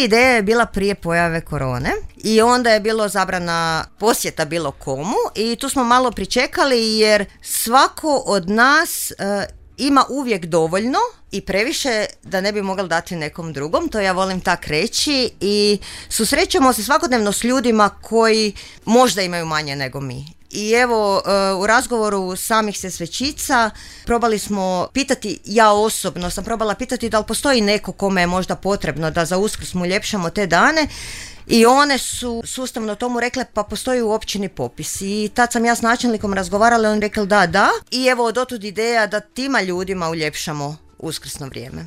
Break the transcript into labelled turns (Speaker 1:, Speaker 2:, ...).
Speaker 1: Ideja je bila prije pojave korone i onda je bilo zabrana posjeta bilo komu i tu smo malo pričekali jer svako od nas ima uvijek dovoljno i previše da ne bi mogli dati nekom drugom, to ja volim tak reći, i susrećemo se svakodnevno s ljudima koji možda imaju manje nego mi. I evo, u razgovoru samih sesvećica probali smo pitati, ja osobno sam probala pitati da li postoji neko kome je možda potrebno da za Uskrs mu uljepšamo te dane, i one su sustavno tomu rekle pa postoji u općini popis. I tad sam ja s načelnikom razgovarala i on rekao da. I evo, dotud ideja da tima ljudima uljepšamo uskrsno vrijeme.